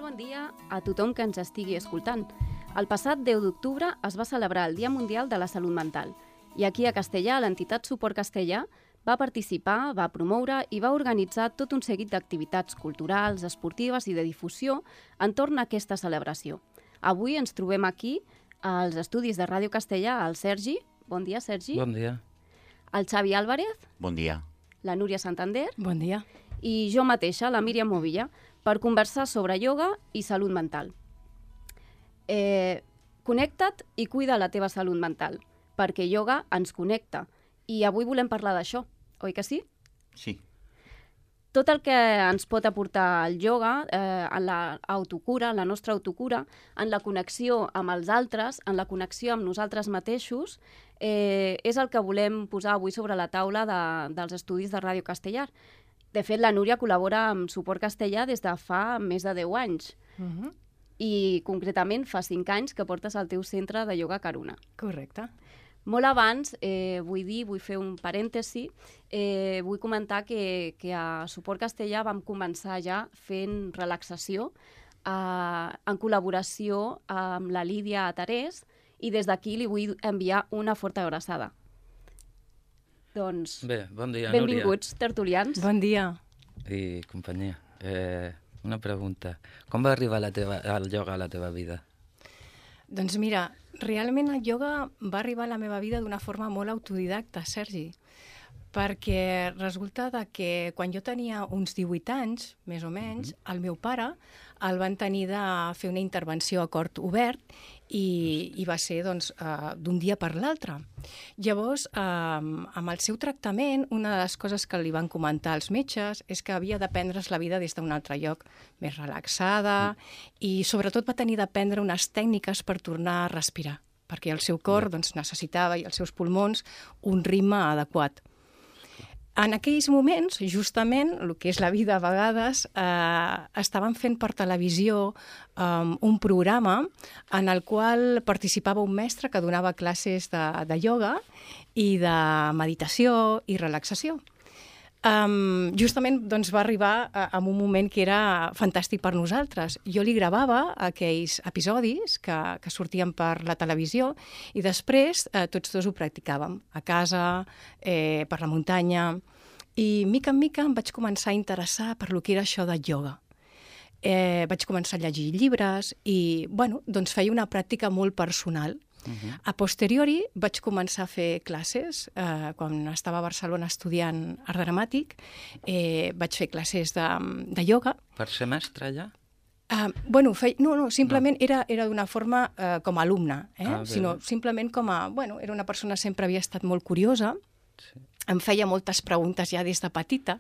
bon dia a tothom que ens estigui escoltant. El passat 10 d'octubre es va celebrar el Dia Mundial de la Salut Mental i aquí a Castellà l'entitat Suport Castellà va participar, va promoure i va organitzar tot un seguit d'activitats culturals, esportives i de difusió entorn a aquesta celebració. Avui ens trobem aquí als estudis de Ràdio Castellà el Sergi. Bon dia, Sergi. Bon dia. El Xavi Álvarez. Bon dia. La Núria Santander. Bon dia. I jo mateixa, la Míriam Movilla, per conversar sobre ioga i salut mental. Connecta't i cuida la teva salut mental, perquè ioga ens connecta. I avui volem parlar d'això, oi que sí? Sí. Tot el que ens pot aportar el ioga en l'autocura, en la nostra autocura, en la connexió amb els altres, en la connexió amb nosaltres mateixos, és el que volem posar avui sobre la taula dels estudis de Ràdio Castellà. De fet, la Núria col·labora amb Suport Castellà des de fa més de 10 anys. I concretament fa 5 anys que portes al teu centre de ioga Karuna. Correcte. Molt abans, vull fer un parèntesi, vull comentar que a Suport Castellà vam començar ja fent relaxació en col·laboració amb la Lídia Terés i des d'aquí li vull enviar una forta abraçada. Doncs, bé, bon dia, benvinguts, tertulians. Bon dia. I companyia. Una pregunta. Com va arribar el ioga a la teva vida? Doncs mira, realment el ioga va arribar a la meva vida d'una forma molt autodidacta, Sergi, perquè resulta que quan jo tenia uns 18 anys, més o menys, el meu pare el van tenir de fer una intervenció a cort obert i va ser d'un dia per l'altre. Llavors, amb el seu tractament, una de les coses que li van comentar els metges és que havia de prendre's la vida des d'un altre lloc, més relaxada, i sobretot va tenir d'aprendre unes tècniques per tornar a respirar, perquè el seu cor necessitava, i els seus pulmons, un ritme adequat. En aquells moments, justament, el que és la vida a vegades, estaven fent per televisió un programa en el qual participava un mestre que donava classes de ioga i de meditació i relaxació. Justament va arribar en un moment que era fantàstic per nosaltres. Jo li gravava aquells episodis que sortien per la televisió i després tots dos ho practicàvem a casa, per la muntanya, i mica en mica em vaig començar a interessar per lo que era això de ioga. Vaig començar a llegir llibres i feia una pràctica molt personal. A posteriori vaig començar a fer classes, quan estava a Barcelona estudiant art dramàtic, vaig fer classes de ioga. Per ser mestre ja? No, simplement era d'una forma com a alumne, sinó simplement com a... Era una persona que sempre havia estat molt curiosa, em feia moltes preguntes ja des de petita,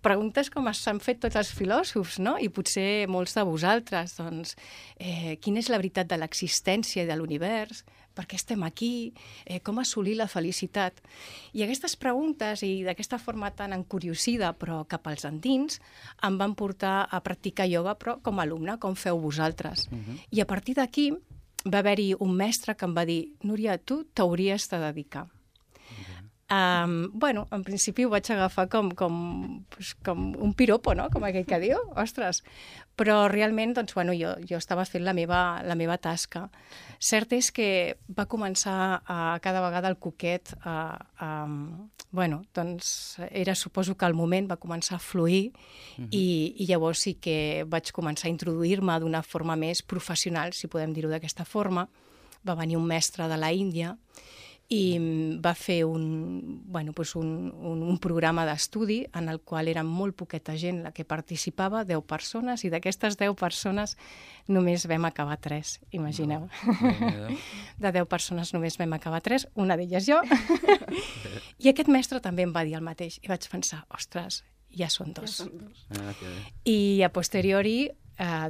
preguntes com s'han fet tots els filòsofs, no? I potser molts de vosaltres, quina és la veritat de l'existència i de l'univers? Per què estem aquí? Com assolir la felicitat? I aquestes preguntes, i d'aquesta forma tan encuriosida, però cap als endins, em van portar a practicar ioga, però com a alumne, com feu vosaltres. I a partir d'aquí va haver-hi un mestre que em va dir: Núria, tu t'hauries de dedicar. En principi ho vaig agafar com un piropo, no? Com aquell que diu, ostres. Però realment, jo estava fent la meva tasca. Cert és que va començar cada vegada el coquet, suposo que al moment va començar a fluir i llavors sí que vaig començar a introduir-me d'una forma més professional, si podem dir-ho d'aquesta forma. Va venir un mestre de la Índia i va fer un programa d'estudi en el qual era molt poqueta gent la que participava, 10 persones, i d'aquestes 10 persones només vam acabar 3, imagineu. De 10 persones només vam acabar 3, una d'elles jo. I aquest mestre també em va dir el mateix, i vaig pensar, ostres, ja són 2. I a posteriori,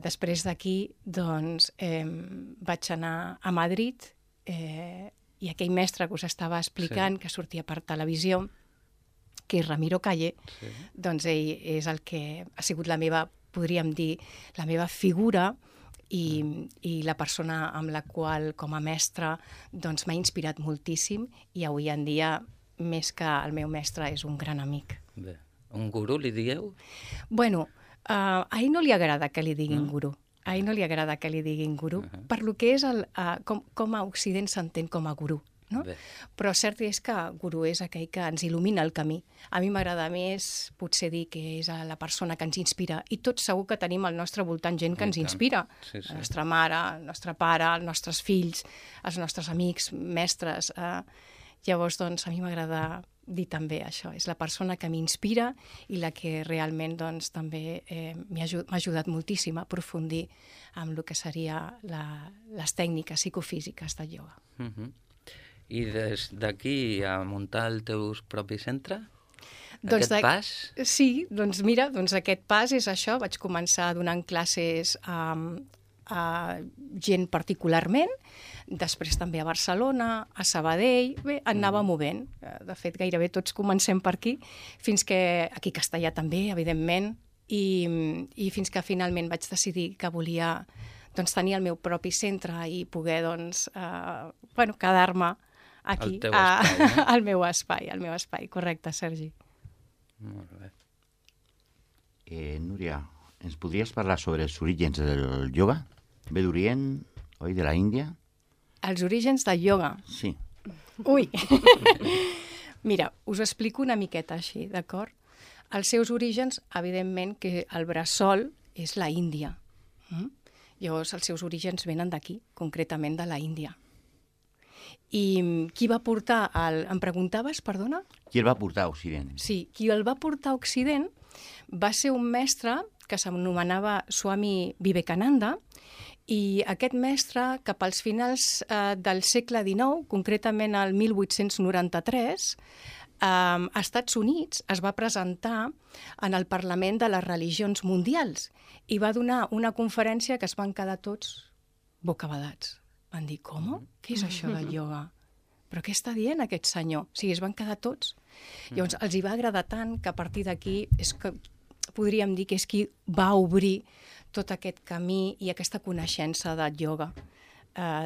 després d'aquí, vaig anar a Madrid, i aquell mestre que us estava explicant, que sortia per televisió, que és Ramiro Calle, ell és el que ha sigut podríem dir, la meva figura i la persona amb la qual, com a mestre, m'ha inspirat moltíssim i avui en dia, més que el meu mestre, és un gran amic. Bé, un gurú li dieu? A ell no li agrada que li diguin gurú. A ell no li agrada que li diguin gurú, per lo que és com a Occident s'entén com a gurú. No? Però cert és que gurú és aquell que ens il·lumina el camí. A mi m'agrada més potser dir que és la persona que ens inspira, i tots segur que tenim al nostre voltant gent que ens inspira. Sí. La nostra mare, el nostre pare, els nostres fills, els nostres amics, mestres. Llavors, doncs, a mi m'agrada dir també això. És la persona que m'inspira i la que realment doncs, també m'ha ajudat moltíssim a aprofundir en el que seria les tècniques psicofísiques del ioga. I des d'aquí a muntar el teu propi centre? Doncs aquest pas? Sí, doncs mira, aquest pas és això. Vaig començar donant classes a gent particularment, després també a Barcelona, a Sabadell, bé, anava movent. De fet, gairebé tots comencem per aquí, fins que aquí a Castellà també, evidentment, i fins que finalment vaig decidir que volia doncs, tenir el meu propi centre i poder doncs, quedar-me aquí, al meu espai, correcte, Sergi. Molt bé. Núria, ens podries parlar sobre els orígens del ioga? Ve d'Orient, oi, de la Índia? Els orígens del ioga? Sí. Ui! Mira, us explico una miqueta així, d'acord? Els seus orígens, evidentment, que el bressol és la Índia. Llavors, els seus orígens venen d'aquí, concretament de la Índia. I qui va portar em preguntaves, perdona? Qui el va portar a Occident? Sí, qui el va portar a Occident va ser un mestre que s'anomenava Swami Vivekananda, i aquest mestre, cap als finals del segle XIX, concretament el 1893, a Estats Units es va presentar en el Parlament de les Religions Mundials i va donar una conferència que es van quedar tots bocabadats. Van dir, com? Què és això del ioga? Però què està dient aquest senyor? O sigui, es van quedar tots. Llavors, els hi va agradar tant que a partir d'aquí podríem dir que és qui va obrir tot aquest camí i aquesta coneixença del ioga.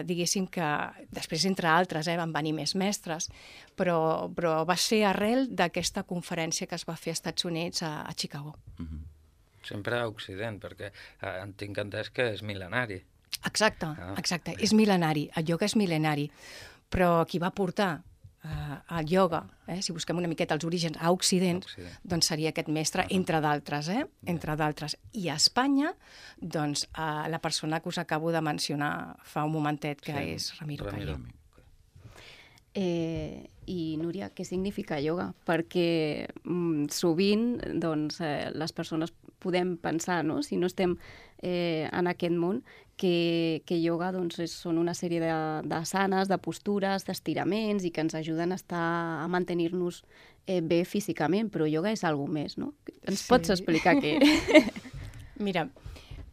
Diguéssim que després, entre altres, van venir més mestres, però va ser arrel d'aquesta conferència que es va fer als Estats Units a Chicago. Sempre a Occident, perquè tinc entès que és mil·lenari. Exacte. És mil·lenari. El ioga és mil·lenari. Però qui va portar el ioga, si busquem una miqueta els orígens a Occident, doncs seria aquest mestre, entre d'altres, entre d'altres. I a Espanya, doncs, la persona que us acabo de mencionar fa un momentet, que és Ramiro Calle. I, Núria, què significa ioga? Perquè sovint doncs, les persones podem pensar, no? Si no estem en aquest món, que ioga doncs, són una sèrie d'asanes, de postures, d'estiraments i que ens ajuden a mantenir-nos bé físicament, però ioga és alguna més, no? Ens pots explicar què? Mira,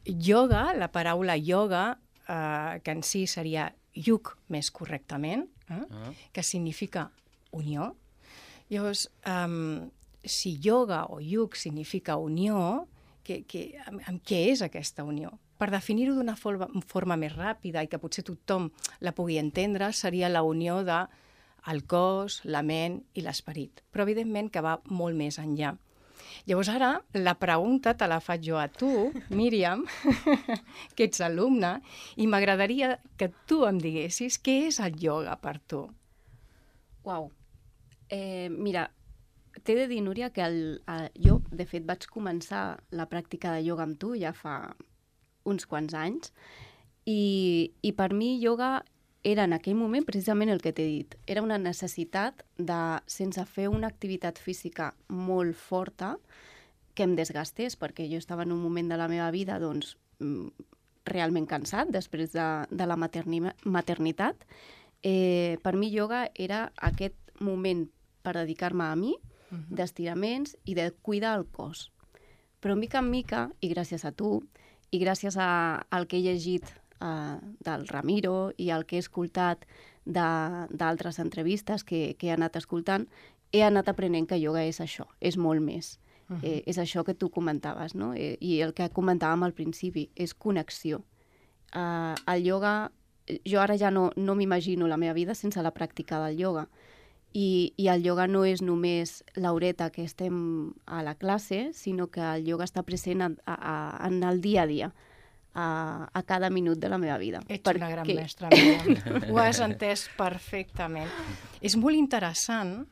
ioga, la paraula ioga, que en si seria yug més correctament, que significa unió. Llavors, si ioga o yug significa unió, amb què és aquesta unió? Per definir-ho d'una forma més ràpida i que potser tothom la pugui entendre, seria la unió del cos, la ment i l'esperit. Però evidentment que va molt més enllà. Llavors ara la pregunta te la faig jo a tu, Míriam, que ets alumne, i m'agradaria que tu em diguessis què és el ioga per tu. Uau! Mira, t'he de dir, Núria, que jo, de fet, vaig començar la pràctica de ioga amb tu ja fa uns quants anys, i per mi ioga era en aquell moment precisament el que t'he dit. Era una necessitat de, sense fer una activitat física molt forta, que em desgastés, perquè jo estava en un moment de la meva vida doncs, realment cansat després de la maternitat. Per mi ioga era aquest moment per dedicar-me a mi, d'estiraments i de cuidar el cos. Però mica en mica, i gràcies a tu, i gràcies al que he llegit del Ramiro i el que he escoltat d'altres entrevistes que he anat escoltant, he anat aprenent que ioga és això, és molt més. És això que tu comentaves, no? I el que comentàvem al principi, és connexió. El ioga, jo ara ja no m'imagino la meva vida sense la pràctica del ioga. I el ioga no és només l'horeta que estem a la classe, sinó que el ioga està present en el dia a dia. a cada minut de la meva vida. Ets una gran mestra, Míriam. Ho has entès perfectament. És molt interessant,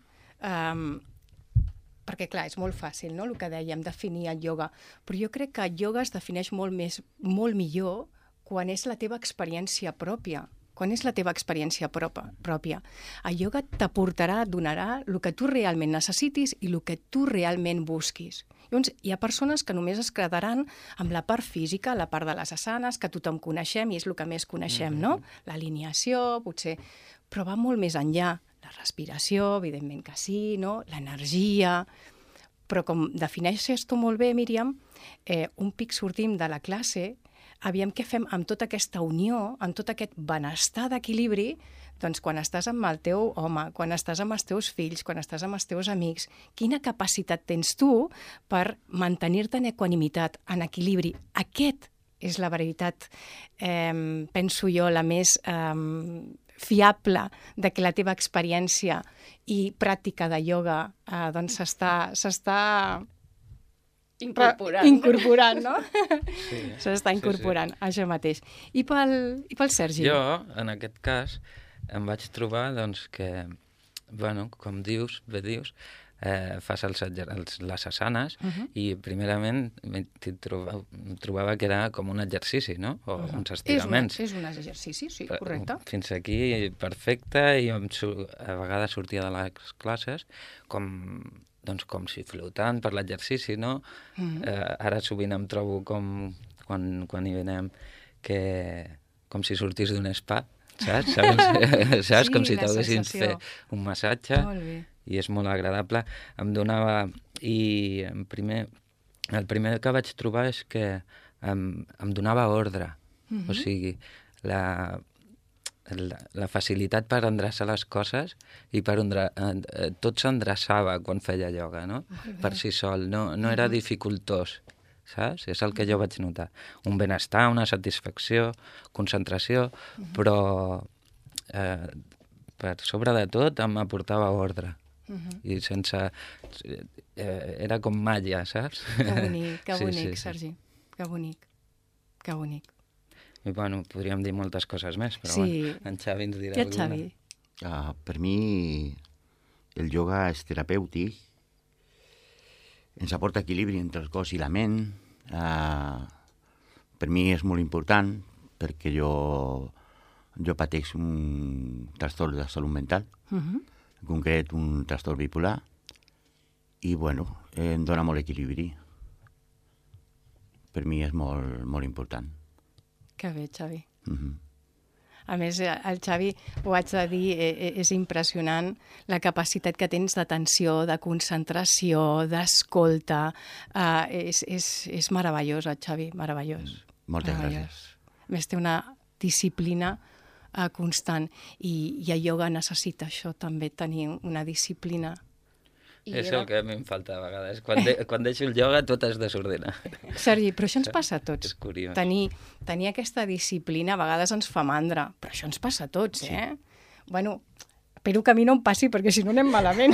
perquè, clar, és molt fàcil, no?, el que dèiem, definir el ioga. Però jo crec que el ioga es defineix molt millor quan és la teva experiència pròpia. Quan és la teva experiència pròpia. El ioga t'aportarà, et donarà el que tu realment necessitis i el que tu realment busquis. Llavors, hi ha persones que només es quedaran amb la part física, la part de les asanes, que tothom coneixem i és el que més coneixem, no? L'alineació, potser, però va molt més enllà. La respiració, evidentment que sí, no? L'energia. Però com defineixes tu molt bé, Míriam, un pic sortim de la classe, aviam què fem amb tota aquesta unió, amb tot aquest benestar d'equilibri, doncs quan estàs amb el teu home, quan estàs amb els teus fills, quan estàs amb els teus amics, quina capacitat tens tu per mantenir-te en equanimitat, en equilibri. Aquest és la veritat, penso jo, la més fiable de que la teva experiència i pràctica de ioga doncs s'està incorporant, no? Sí. S'està incorporant, això mateix. I pel Sergi? Jo, en aquest cas, em vaig trobar doncs, que, bueno, com dius, fas les asanes i primerament trobava que era com un exercici, no? O uns estiraments. És un exercici, sí, correcte. Fins aquí perfecte i a vegades sortia de les classes com si flotant per l'exercici, no? Ara sovint em trobo quan hi venem com si sortís d'un spa, saps? Saps? Com si t'haguessin fet un massatge. Molt bé. I és molt agradable. Em donava... I el primer que vaig trobar és que em donava ordre. O sigui, la facilitat per endreçar les coses i tot s'endreçava quan feia ioga, no? Per si sol. No era dificultós, saps? És el que jo vaig notar. Un benestar, una satisfacció, concentració, però per sobre de tot em aportava ordre. I sense... era com màgia, saps? Que bonic, Sergi. Que bonic. I, bueno, podríem dir moltes coses més, però sí. En Xavi ens dirà alguna. Xavi? Per mi, el ioga és terapèutic, ens aporta equilibri entre el cos i la ment. Per mi és molt important, perquè jo pateix un trastorn de salut mental, en concret un trastorn bipolar, i, bueno, em dona molt equilibri. Per mi és molt, molt important. Que bé, Xavi. A més, el Xavi, ho haig de dir, és impressionant la capacitat que tens d'atenció, de concentració, d'escolta. És meravellós, el Xavi, meravellós. Moltes gràcies. A més, té una disciplina constant i el ioga necessita això també, tenir una disciplina. És el que a mi em falta a vegades. Quan deixo el ioga tot es desordena. Sergi, però això ens passa a tots. És curiós. Tenir aquesta disciplina a vegades ens fa mandra, però això ens passa a tots, eh? Bueno, espero que a mi no em passi, perquè si no anem malament.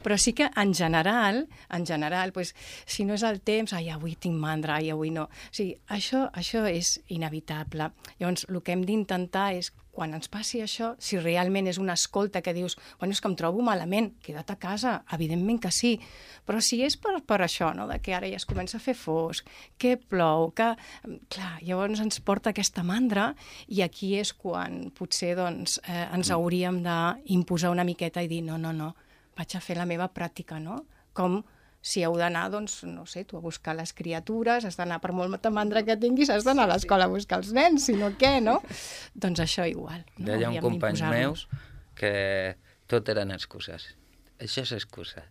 Però sí que en general, pues, si no és el temps, avui tinc mandra, avui no. O sigui, això és inevitable. Llavors, el que hem d'intentar és, quan ens passi això, si realment és una escolta que dius, bueno, és que em trobo malament, queda't a casa, evidentment que sí, però si és per això, no?, de que ara ja es comença a fer fosc, que plou, que... Clar, llavors ens porta aquesta mandra i aquí és quan potser doncs, ens hauríem d'imposar una miqueta i dir no, vaig a fer la meva pràctica, no? Com si heu d'anar, doncs, no sé, tu a buscar les criatures, has d'anar per molta mandra que tinguis, has d'anar a l'escola a buscar els nens, si no què, no? Doncs això igual. No? Deia un company meu que tot eren excuses. Això és excusa.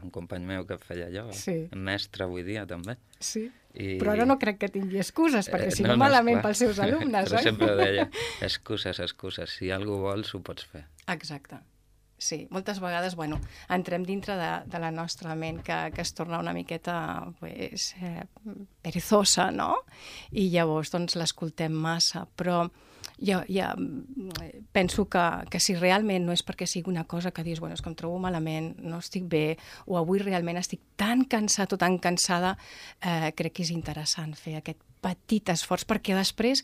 Un company meu que feia ioga, mestre avui dia també. Sí, però ara no crec que tingui excuses, perquè si no malament pels seus alumnes, però sempre deia, excuses, si algú vols ho pots fer. Exacte. Sí, moltes vegades, bueno, entrem dintre de la nostra ment que es torna una miqueta perezosa, no? I llavors, doncs, l'escoltem massa. Però penso que si realment no és perquè sigui una cosa que dius, bueno, és que em trobo malament, no estic bé, o avui realment estic tan cansat o tan cansada, crec que és interessant fer aquest petit esforç, perquè després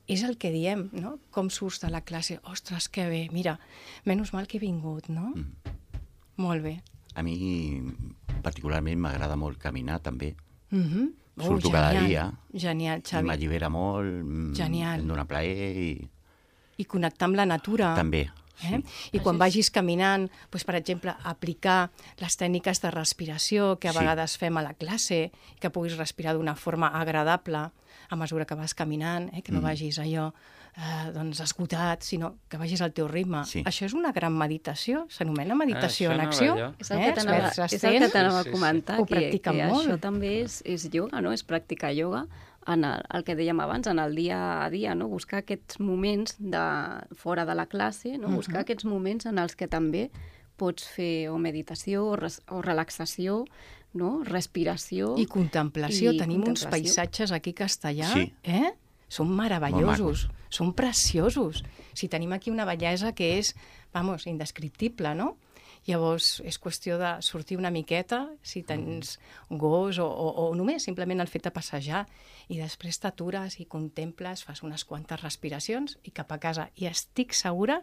és el que diem, no? Com surts de la classe? Ostres, que bé, mira, menys mal que he vingut, no? Molt bé. A mi, particularment, m'agrada molt caminar, també. Surto Genial, cada dia. Genial, Xavi. M'allibera molt, Genial. em dona plaer I connectar amb la natura. també. Sí. I quan vagis caminant, doncs, per exemple, aplicar les tècniques de respiració que a vegades fem a la classe, que puguis respirar d'una forma agradable a mesura que vas caminant, que no vagis allò doncs esgotat, sinó que vagis al teu ritme. Sí. Això és una gran meditació, s'anomena meditació en acció. És el que t'anava a comentar, Ho practiquen que molt. això també és ioga, no? És practicar ioga en el que dèiem abans, en el dia a dia, no? Buscar aquests moments fora de la classe, no? Buscar aquests moments en els que també pots fer o meditació o relaxació, no? Respiració. I contemplació. Tenim uns contemplació. paisatges aquí a Castellà, Sí. Són meravellosos, són preciosos. Si tenim aquí una bellesa que és, vamos, indescriptible, no? Llavors, és qüestió de sortir una miqueta, si tens gos o només simplement el fet de passejar, i després t'atures i contemples, fas unes quantes respiracions i cap a casa. I estic segura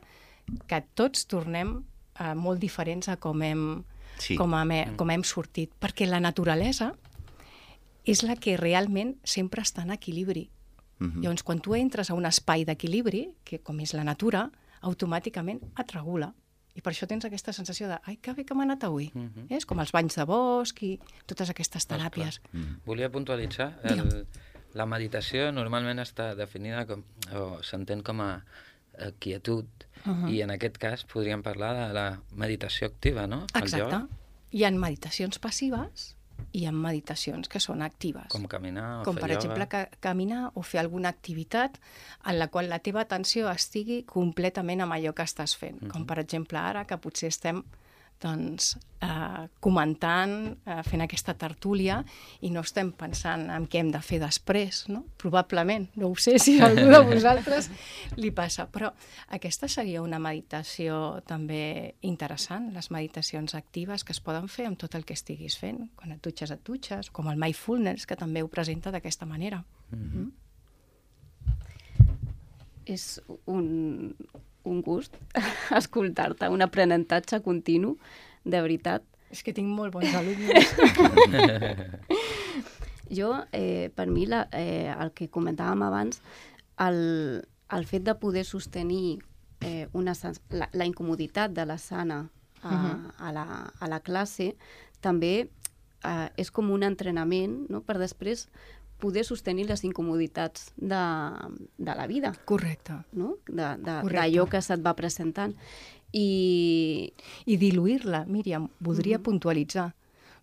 que tots tornem molt diferents a com hem sortit, perquè la naturalesa és la que realment sempre està en equilibri. Llavors, quan tu entres a un espai d'equilibri, que com és la natura, automàticament et regula. I per això tens aquesta sensació de ai, que bé que m'ha anat avui. És com els banys de bosc i totes aquestes teràpies. Volia puntualitzar, la meditació normalment està definida o s'entén com a quietud, i en aquest cas podríem parlar de la meditació activa, no? Exacte. Hi ha meditacions passives i hi ha meditacions que són actives. Com caminar o com fer per exemple caminar o fer alguna activitat en la qual la teva atenció estigui completament amb allò que estàs fent. Com per exemple ara, que potser estem comentant, fent aquesta tertúlia, i no estem pensant en què hem de fer després, no? Probablement, no ho sé si a algú de vosaltres li passa, però aquesta seria una meditació també interessant, les meditacions actives que es poden fer amb tot el que estiguis fent. Quan et dutxes, com el mindfulness, que també ho presenta d'aquesta manera. És un gust escoltar-te, un aprenentatge continu, de veritat. És que tinc molt bons alumnes. Jo, per mi, el que comentàvem abans, el fet de poder sostenir la incomoditat de la Sana a la classe també és com un entrenament, no?, per després poder sostenir les incomoditats de la vida. Correcte. No? D'allò que se't va presentant. I diluir-la, Míriam, voldria puntualitzar.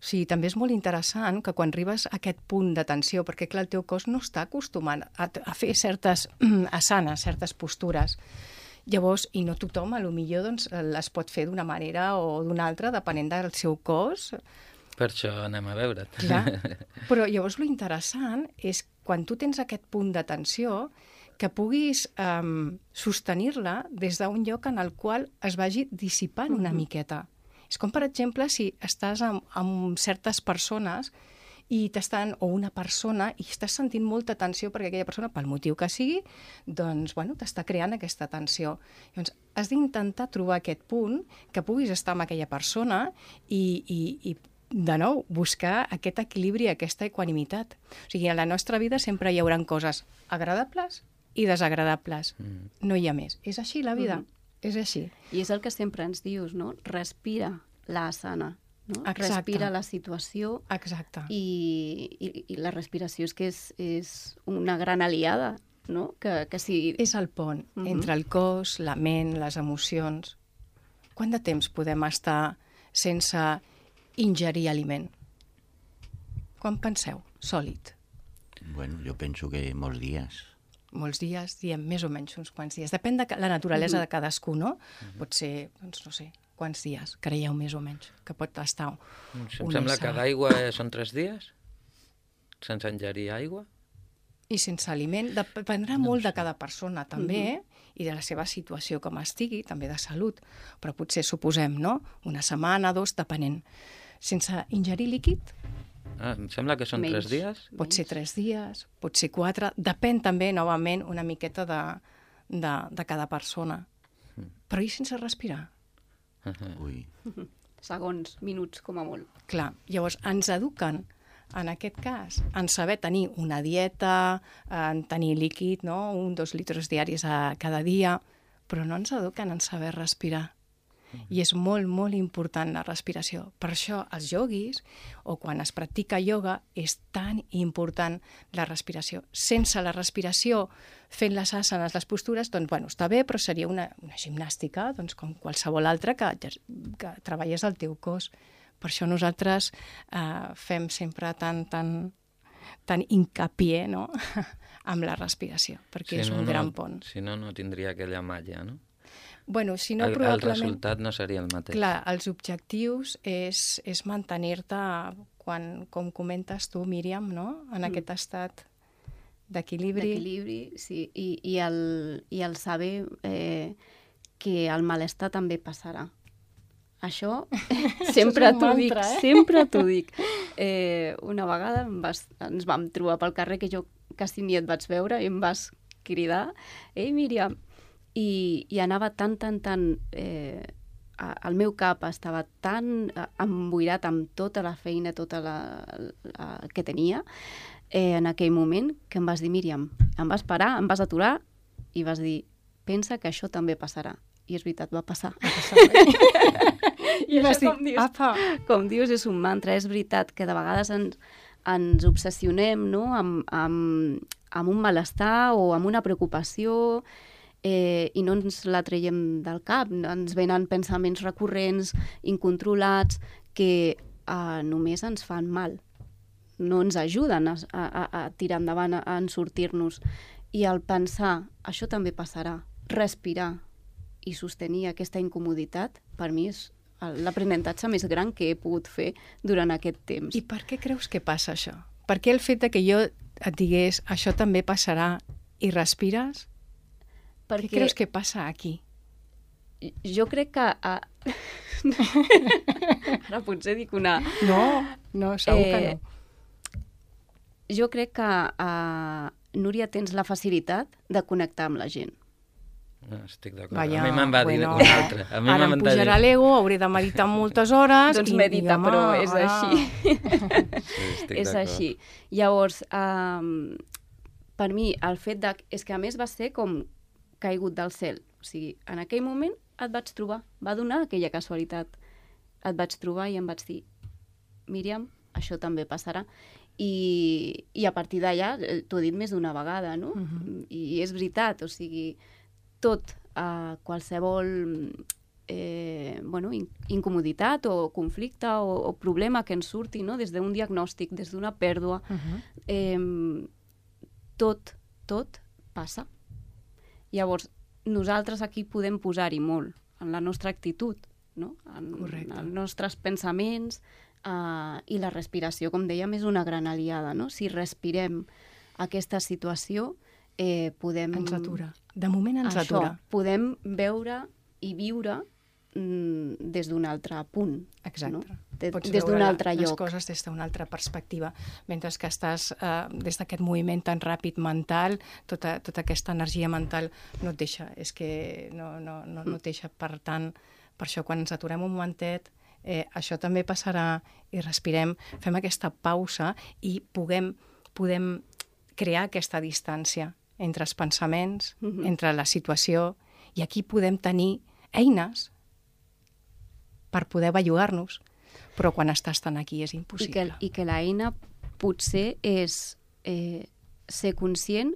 O sigui, també és molt interessant que quan arribes a aquest punt de tensió, perquè clar, el teu cos no està acostumat a fer certes asanes, certes postures. Llavors, i no tothom, potser doncs, les pot fer d'una manera o d'una altra, depenent del seu cos. Per això anem a veure't. Clar, però llavors lo interessant és quan tu tens aquest punt de tensió que puguis sostenir-la des d'un lloc en el qual es vagi dissipant una miqueta. És com, per exemple, si estàs amb certes persones o una persona i estàs sentint molta tensió perquè aquella persona, pel motiu que sigui, doncs, bueno, t'està creant aquesta tensió. Llavors, has d'intentar trobar aquest punt que puguis estar amb aquella persona i de nou, buscar aquest equilibri, aquesta equanimitat. O sigui, a la nostra vida sempre hi haurà coses agradables i desagradables. No hi ha més. És així la vida. És així. I és el que sempre ens dius, no? Respira la asana. No? Exacte. Respira la situació. Exacte. I la respiració és que és una gran aliada, no? Que si... És el pont entre el cos, la ment, les emocions. Quant de temps podem estar sense ingerir aliment? Quan penseu? Sòlid. Bueno, jo penso que molts dies. Molts dies, diem més o menys uns quants dies. Depèn de la naturalesa de cadascú, no? Pot ser, doncs no sé, quants dies creieu més o menys que pot estar Em sembla que d'aigua són 3 dies? Sense ingerir aigua? I sense aliment. Dependrà molt de cada persona, també, i de la seva situació com estigui, també de salut. Però potser, suposem, no? Una setmana, 2, depenent. Sense ingerir líquid, Em sembla que són 3 dies. pot ser 3 dies, pot ser 4. Depèn també, novament, una miqueta de cada persona. Però i sense respirar? Ui. Segons, minuts, com a molt. Clar, llavors ens eduquen, en aquest cas, en saber tenir una dieta, en tenir líquid, no? 1-2 litres diaris cada dia, però no ens eduquen en saber respirar. I és molt, molt important la respiració. Per això els ioguis, o quan es practica ioga, és tan important la respiració. Sense la respiració, fent les asanes, les postures, doncs, bueno, està bé, però seria una gimnàstica, doncs, com qualsevol altra que treballés el teu cos. Per això nosaltres fem sempre tan hincapié, no? amb la respiració, perquè és un gran pont. Si no, no tindria aquella malla, no? Bueno, si no, el resultat no seria el mateix. Clar, els objectius és mantenir-te, com comentes tu, Míriam, no? En aquest estat d'equilibri. D'equilibri, sí. I el saber que el malestar també passarà. Això sempre t'ho dic, sempre t'ho dic. Una vegada ens vam trobar pel carrer, que jo quasi ni et vaig veure, i em vas cridar, «Ei, Míriam!» I anava tan... el meu cap estava tan emboirat amb tota la feina, que tenia en aquell moment, que em vas dir, Míriam, em vas parar, em vas aturar i vas dir, pensa que això també passarà. I és veritat, va passar. I vas dir, com dius, és un mantra. És veritat que de vegades ens obsessionem, no? amb un malestar o amb una preocupació, i no ens la traiem del cap. Ens venen pensaments recurrents, incontrolats, que només ens fan mal. No ens ajuden a tirar endavant, a sortir-nos. I al pensar, això també passarà, respirar i sostenir aquesta incomoditat, per mi és l'aprenentatge més gran que he pogut fer durant aquest temps. I per què creus que passa això? Per què el fet que jo et digués això també passarà i respires? Què creus que passa aquí? Jo crec que... Ara potser dic una... No, segur que no. Jo crec que, Núria, tens la facilitat de connectar amb la gent. No, estic d'acord. A mi me'n va dir una altra. Ara em pujarà l'ego, hauré de meditar moltes hores... Doncs medita, però és així. És així. Llavors, per mi, el fet és que a més va ser com caigut del cel. O sigui, en aquell moment et vaig trobar, va donar aquella casualitat. Et vaig trobar i em vaig dir, Míriam, això també passarà. I a partir d'allà, t'ho he dit més d'una vegada, no? I és veritat, o sigui, tot, qualsevol incomoditat o conflicte o problema que ens surti, no? Des d'un diagnòstic, des d'una pèrdua, tot passa. Llavors, nosaltres aquí podem posar-hi molt, en la nostra actitud, no? En els nostres pensaments, i la respiració, com dèiem, és una gran aliada, no? Si respirem aquesta situació, podem... Ens atura. De moment ens atura. Podem veure i viure des d'un altre punt. Exacte. No? Des d'un altre lloc. Les coses des d'una altra perspectiva. Mentre que estàs des d'aquest moviment tan ràpid mental, tota aquesta energia mental no et deixa. És que no et deixa. Per tant, per això quan ens aturem un momentet, això també passarà i respirem, fem aquesta pausa i podem crear aquesta distància entre els pensaments, entre la situació, i aquí podem tenir eines per poder bellugar-nos, però quan estàs tan aquí és impossible. I que l'eina potser és ser conscient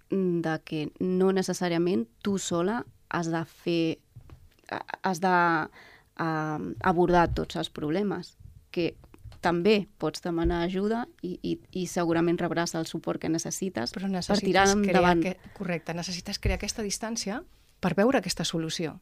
de que no necessàriament tu sola has d'abordar tots els problemes, que també pots demanar ajuda i segurament rebràs el suport que necessites per tirar endavant. Correcte, necessites crear aquesta distància per veure aquesta solució.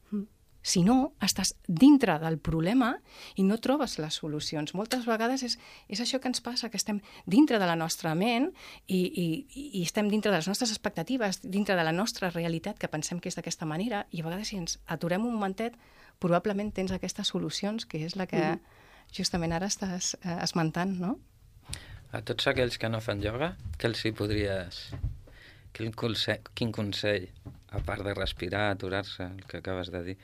Si no, estàs dintre del problema i no trobes les solucions. Moltes vegades és això que ens passa, que estem dintre de la nostra ment i estem dintre de les nostres expectatives, dintre de la nostra realitat, que pensem que és d'aquesta manera, i a vegades si ens aturem un momentet, probablement tens aquestes solucions, que és la que justament ara estàs esmentant, no? A tots aquells que no fan ioga, què els hi podries... Quin consell, a part de respirar, aturar-se, el que acabes de dir,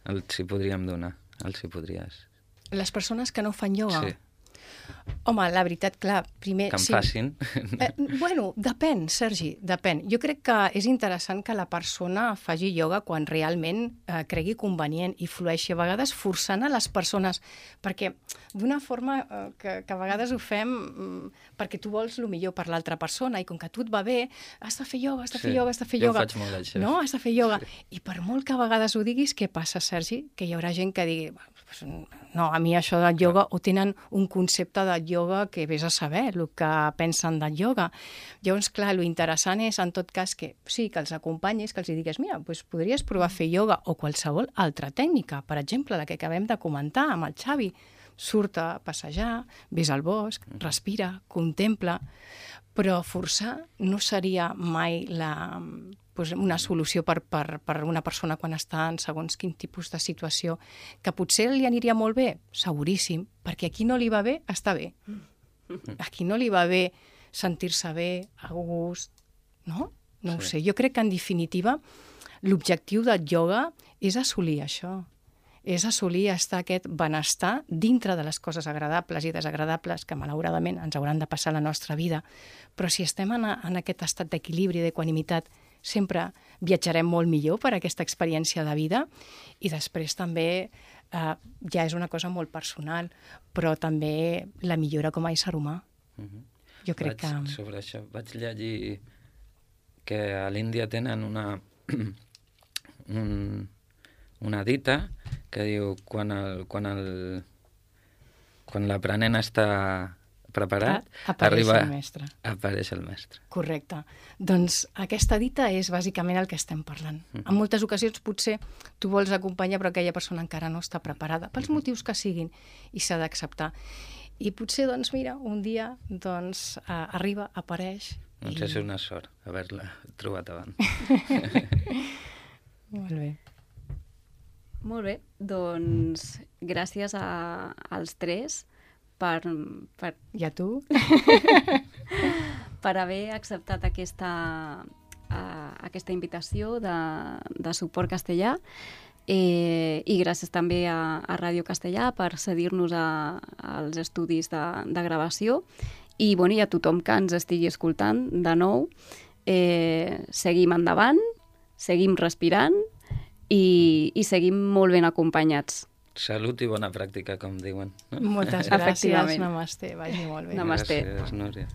els hi podríem donar? Els hi podries... Les persones que no fan ioga? Sí. Home, la veritat, clar, primer... Que en facin. Bueno, depèn, Sergi, depèn. Jo crec que és interessant que la persona faci ioga quan realment cregui convenient i flueixi. A vegades forçant a les persones, perquè d'una forma que a vegades ho fem perquè tu vols el millor per l'altra persona i com que a tu et va bé, has de fer ioga, has de fer ioga, has de fer ioga. Jo ho faig molt, això. No? Has de fer ioga. Sí. I per molt que a vegades ho diguis, què passa, Sergi? Que hi haurà gent que digui... No, a mi això del ioga, o tenen un concepte de ioga que vés a saber el que pensen del ioga. Llavors, clar, lo interessant és, en tot cas, que sí, que els acompanyis, que els digues, mira, doncs podries provar a fer ioga o qualsevol altra tècnica. Per exemple, la que acabem de comentar amb el Xavi. Surt a passejar, ves al bosc, respira, contempla, però forçar no seria mai una solució per una persona quan està en segons quin tipus de situació, que potser li aniria molt bé, seguríssim, perquè a qui no li va bé, està bé. A qui no li va bé sentir-se bé, a gust, no? No ho sé. Jo crec que, en definitiva, l'objectiu del ioga és assolir això. És assolir estar aquest benestar dintre de les coses agradables i desagradables que malauradament ens hauran de passar a la nostra vida. Però si estem en aquest estat d'equilibri, d'equanimitat, sempre viatjarem molt millor per aquesta experiència de vida, i després també ja és una cosa molt personal, però també la millora com a ésser humà. Jo crec que... Sobre això vaig llegir que a l'Índia tenen una dita que diu quan l'aprenent està preparat, apareix el mestre. Apareix el mestre. Correcte. Doncs aquesta dita és bàsicament el que estem parlant. En moltes ocasions potser tu vols acompanyar però aquella persona encara no està preparada, pels motius que siguin, i s'ha d'acceptar. I potser, doncs mira, un dia arriba, apareix... Doncs és una sort haver-la trobat abans. Molt bé. Molt bé, doncs gràcies als tres I a tu? per haver acceptat aquesta invitació de Suport Castellà, i gràcies també a Ràdio Castellà per cedir-nos als estudis de gravació, i a tothom que ens estigui escoltant de nou, seguim endavant, seguim respirant i seguim molt ben acompanyats. Salut i bona pràctica, com diuen. No? Moltes gràcies. Namasté. Vagi molt bé. Namasté. Gràcies, Núria.